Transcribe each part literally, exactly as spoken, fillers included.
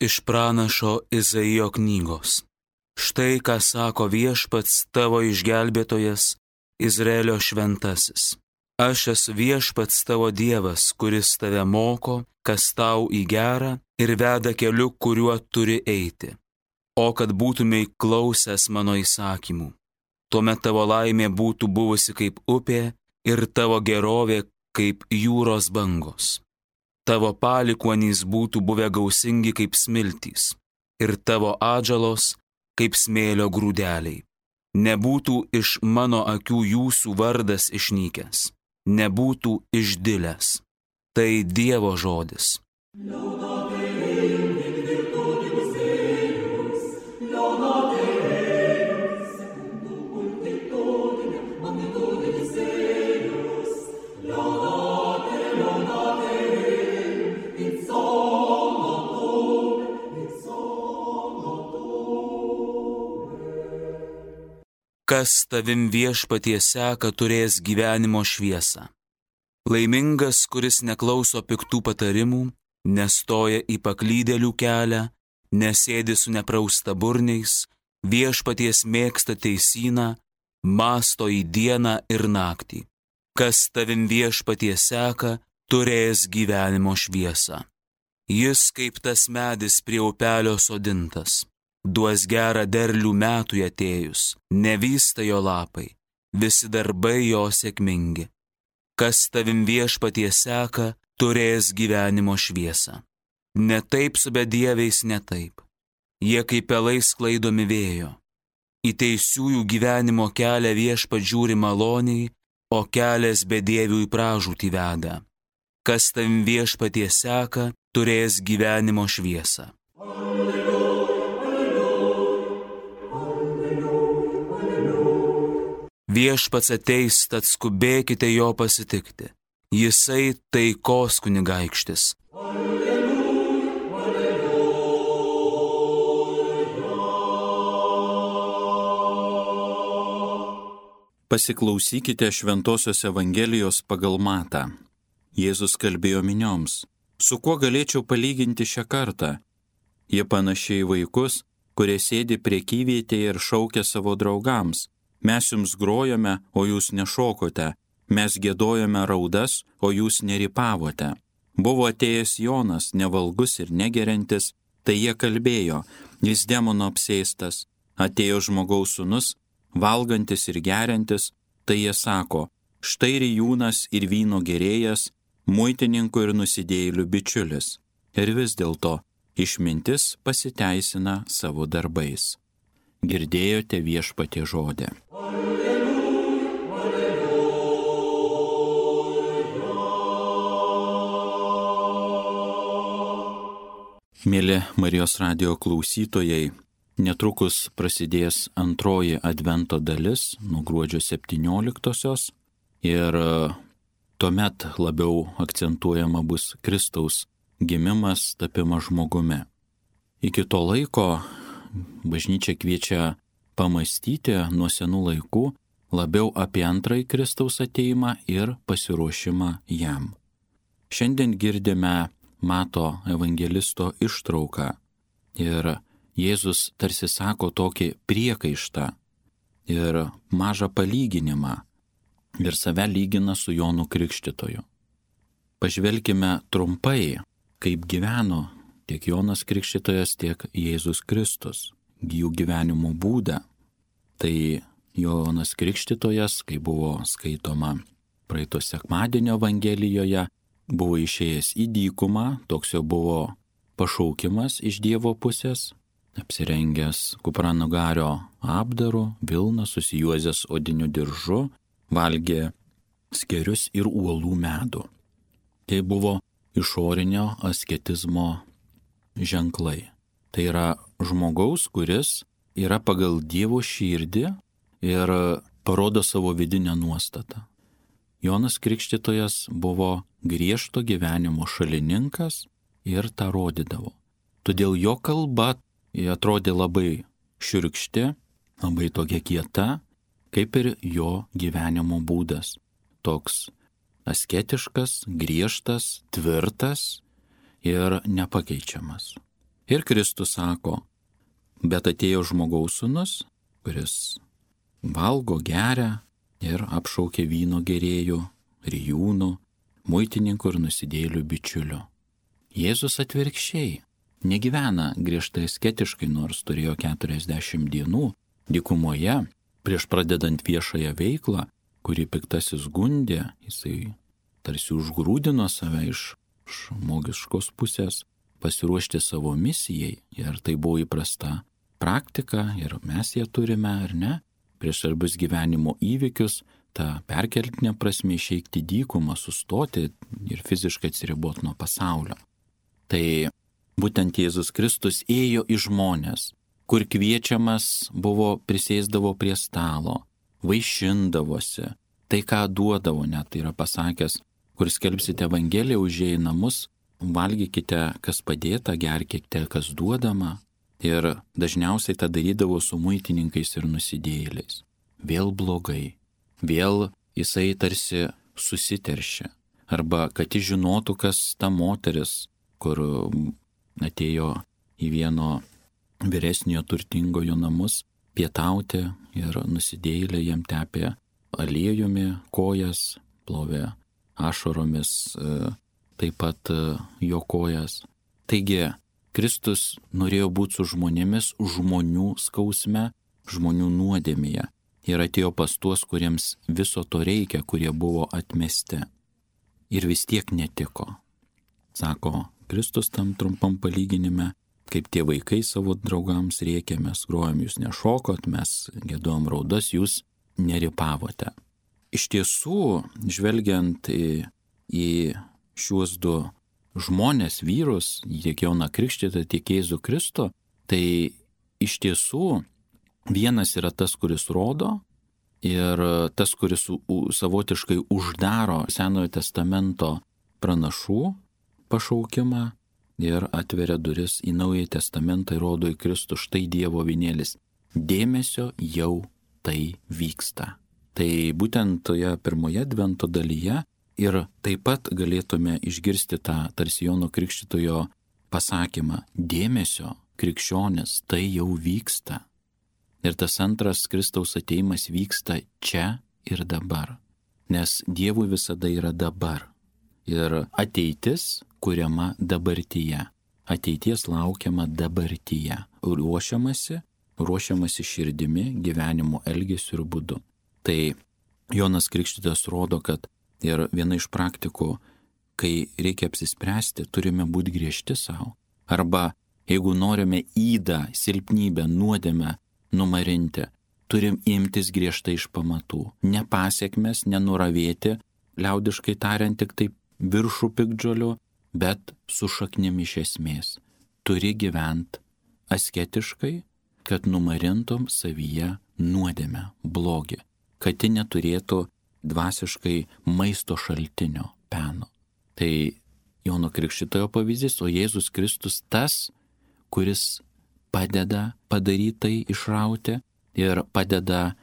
iš pranašo Izaijo knygos. Štai ką sako Viešpats tavo išgelbėtojas, Izraelio šventasis. Aš esu Viešpats tavo Dievas, kuris tave moko, kas tau į gerą ir veda keliu, kuriuo turi eiti. O kad būtumei klausęs mano įsakymų, tuomet tavo laimė būtų buvusi kaip upė ir tavo gerovė kaip jūros bangos. Tavo palikuonys būtų buvę gausingi kaip smiltys ir tavo atžalos kaip smėlio grūdeliai. Nebūtų iš mano akių jūsų vardas išnykęs, nebūtų išdilęs. Tai Dievo žodis. Kas tavim Viešpatie seka, turės gyvenimo šviesą. Laimingas, kuris neklauso piktų patarimų, nestoja į paklydėlių kelią, nesėdi su nepraustaburniais, Viešpaties mėgsta teisyną, mąsto į dieną ir naktį. Kas tavim Viešpatie seka, turės gyvenimo šviesą. Jis kaip tas medis prie upelio sodintas. Duos gerą derlių metui atėjus, nevysta jo lapai, visi darbai jo sėkmingi. Kas tavim Viešpatie seka, turės gyvenimo šviesą. Ne taip su bedieviais, ne taip. Jie kaip pelai sklaidomi vėjo. Į teisiųjų gyvenimo kelią Viešpats žiūri maloniai, o kelias bedievių į pražūtį veda. Kas tavim Viešpatie seka, turės gyvenimo šviesą. Viešpats ateis, tad skubėkite jo pasitikti. Jisai taikos kunigaikštis. Pasiklausykite Šventosios Evangelijos pagal Matą. Jėzus kalbėjo minioms. Su kuo galėčiau palyginti šią kartą? Jie panašiai vaikus, kurie sėdi prekyvietėje ir šaukia savo draugams. Mes jums grojame, o jūs nešokote. Mes giedojame raudas, o jūs nerypavote. Buvo atėjęs Jonas, nevalgus ir negeriantis, tai jie kalbėjo, jis demono apsėstas. Atėjo žmogaus sūnus, valgantis ir geriantis, tai jie sako, štai rijūnas ir vyno gerėjas, muitininkų ir nusidėjėlių bičiulis. Ir vis dėlto išmintis pasiteisina savo darbais. Girdėjote Viešpatie žodį. Mėly Marijos radijo klausytojai, netrukus prasidės antroji advento dalis nuo gruodžio septynioliktosios ir tuomet labiau akcentuojama bus Kristaus gimimas, tapimas žmogumi. Iki to laiko bažnyčia kviečia pamastyti nuo senų laikų labiau apie antrąjį Kristaus ateimą ir pasiruošimą jam. Šiandien girdime Mato evangelisto ištrauką ir Jėzus tarsi sako tokį priekaištą ir mažą palyginimą ir save lygina su Jonu Krikštytoju. Pažvelkime trumpai, kaip gyveno tiek Jonas Krikštytojas, tiek Jėzus Kristus, jų gyvenimo būdą. Tai Jonas Krikštytojas, kai buvo skaitoma praeito sekmadienio Evangelijoje, buvo išėjęs į dykumą, toks jo buvo pašaukimas iš Dievo pusės, apsirengęs kupranugario apdaru, vilną susijuozęs odiniu diržu, valgė skerius ir uolų medų. Tai buvo išorinio asketizmo ženklai. Tai yra žmogaus, kuris yra pagal Dievo širdį ir parodo savo vidinę nuostatą. Jonas Krikštytojas buvo griežto gyvenimo šalininkas ir tą rodydavo. Todėl jo kalba atrodė labai šiurkšti, labai tokia kieta, kaip ir jo gyvenimo būdas. Toks asketiškas, griežtas, tvirtas ir nepakeičiamas. Ir Kristus sako, bet atėjo žmogaus sūnus, kuris valgo, geria ir apšaukė vyno gerėjų, rijūnų, muitininkų ir nusidėjėlių bičiulių. Jėzus atvirkščiai negyvena griežtai asketiškai, nors turėjo keturiasdešimt dienų dykumoje prieš pradedant viešąją veiklą, kurį piktasis gundė, jisai tarsi užgrūdino save iš žmogiškos pusės pasiruošti savo misijai. Ir tai buvo įprasta praktika ir mes ją turime, ar ne? Prieš svarbius gyvenimo įvykius, tą perkeltinę prasme išeikti dykumą, sustoti ir fiziškai atsiriboti nuo pasaulio. Tai būtent Jėzus Kristus ėjo į žmones, kur kviečiamas buvo, prisėsdavo prie stalo, vaišindavosi, tai ką duodavo, net tai yra pasakęs, kur skelbsite Evangeliją, užėję į namus, valgykite, kas padėta, gerkite, kas duodama. Ir dažniausiai tą darydavo su muitininkais ir nusidėjėliais. Vėl blogai, vėl jisai tarsi susiteršia. Arba kad jis žinotų, kas ta moteris, kur atėjo į vieno vyresniojo turtingojo namus pietauti ir nusidėjėlė jam tepė aliejumi kojas, plovė ašaromis taip pat jo kojas. Taigi, Kristus norėjo būti su žmonėmis žmonių skausme, žmonių nuodėmėje ir atėjo pas tuos, kuriems viso to reikia, kurie buvo atmesti. Ir vis tiek netiko. Sako Kristus tam trumpam palyginime, kaip tie vaikai savo draugams rėkė, mes grojom, jūs nešokot, mes gėdojom raudas, jūs neripavote. Iš tiesų, žvelgiant į, į šiuos du žmonės, vyrus, tiek Joną Krikštytoją, tiek Jėzų Kristų, tai iš tiesų vienas yra tas, kuris rodo ir tas, kuris savotiškai uždaro Senojo testamento pranašų pašaukimą ir atveria duris į Naująjį testamentą ir rodo į Kristų, štai Dievo avinėlis. Dėmesio jau tai vyksta. Tai būtent toje pirmoje advento dalyje ir taip pat galėtume išgirsti tą tarsi Jono Krikštytojo pasakymą, dėmesio, krikščionis, tai jau vyksta. Ir tas antras Kristaus ateimas vyksta čia ir dabar, nes Dievui visada yra dabar. Ir ateitis kuriama dabartyje, ateities laukiama dabartyje, ruošiamasi, ruošiamasi širdimi, gyvenimo elgesiu ir būdu. Tai Jonas Krikštytojas rodo, kad ir viena iš praktikų, kai reikia apsispręsti, turime būti griežti savo. Arba jeigu norime ydą, silpnybę, nuodėmę numarinti, turim imtis griežtai iš pamatų. Ne pasiekmes, nenuravėti, liaudiškai tariant tik taip viršų piktžolių, bet su šaknim iš esmės. Turi gyventi asketiškai, kad numarintum savyje nuodėmę, blogį, kad ji neturėtų dvasiškai maisto šaltinio peno. Tai Jono Krikštytojo pavyzdys, o Jėzus Kristus tas, kuris padeda padaryti tai, išrauti ir padeda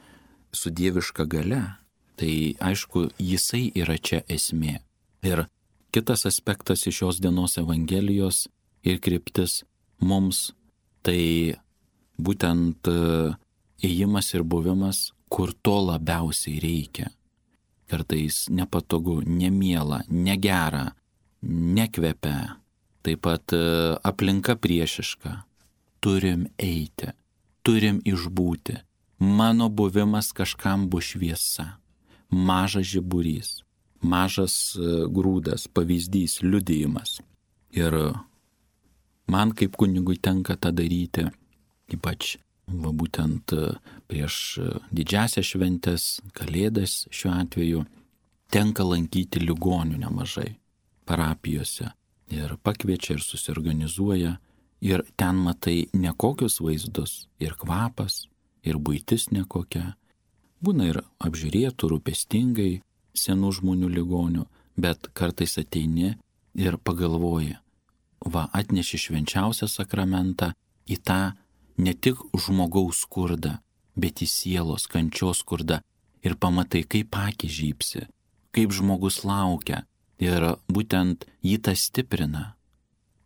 su dieviška galia. Tai aišku, jisai yra čia esmė. Ir kitas aspektas iš šios dienos Evangelijos ir kryptis mums, tai būtent ėjimas ir buvimas, kur to labiausiai reikia. Kartais nepatogu, nemiela, negera, nekvepia, taip pat aplinka priešiška. Turim eiti, turim išbūti. Mano buvimas kažkam bus šviesa, mažas žiburys, mažas grūdas, pavyzdys, liudijimas. Ir man kaip kunigui tenka tą daryti, ypač va, būtent prieš didžiasias šventes, kalėdas šiuo atveju, tenka lankyti ligonių nemažai parapijose ir pakviečia ir susiorganizuoja ir ten matai nekokius vaizdus, ir kvapas, ir buitis nekokia. Būna ir apžiūrėtų rūpestingai senų žmonių ligonių, bet kartais ateini ir pagalvoji, va atneši švenčiausią sakramentą į tą ne tik žmogaus skurdą, bet į sielos kančios skurdą ir pamatai, kaip akys žybsi, kaip žmogus laukia ir būtent jį tas stiprina.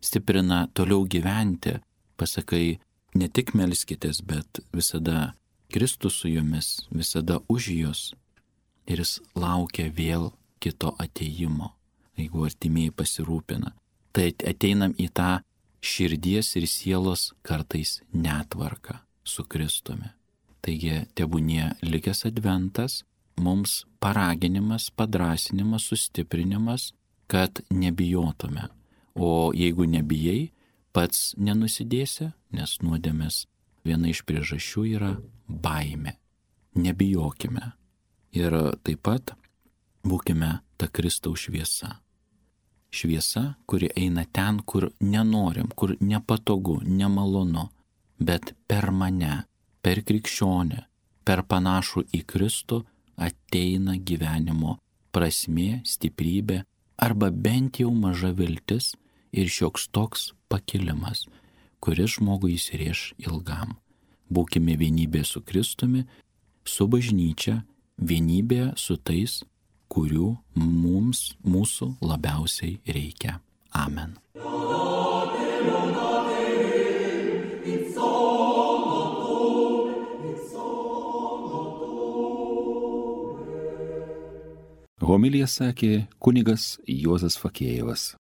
stiprina toliau gyventi. Pasakai, ne tik melskitės, bet visada Kristus su jumis, visada už jūs. Ir jis laukia vėl kito ateimo, jeigu artimieji pasirūpina. Tai ateinam į tą širdies ir sielos kartais netvarką su Kristumi. Taigi tebūnie likęs adventas, mums paraginimas, padrasinimas, sustiprinimas, kad nebijotume. O jeigu nebijai, pats nenusidėsi, nes nuodėmės viena iš priežasčių yra baimė. Nebijokime. Ir taip pat būkime ta Kristaus šviesa. Šviesa, kuri eina ten, kur nenorim, kur nepatogu, nemalonu, bet per mane, per krikščionę, per panašų į Kristų ateina gyvenimo prasmė, stiprybė arba bent jau maža viltis ir šioks toks pakilimas, kuris žmogui įsirėš ilgam. Būkime vienybė su Kristumi, su bažnyčia, vienybė su tais, kurių mums, mūsų labiausiai reikia. Amen. Homiliją sakė kunigas Juozas Fakėjevas.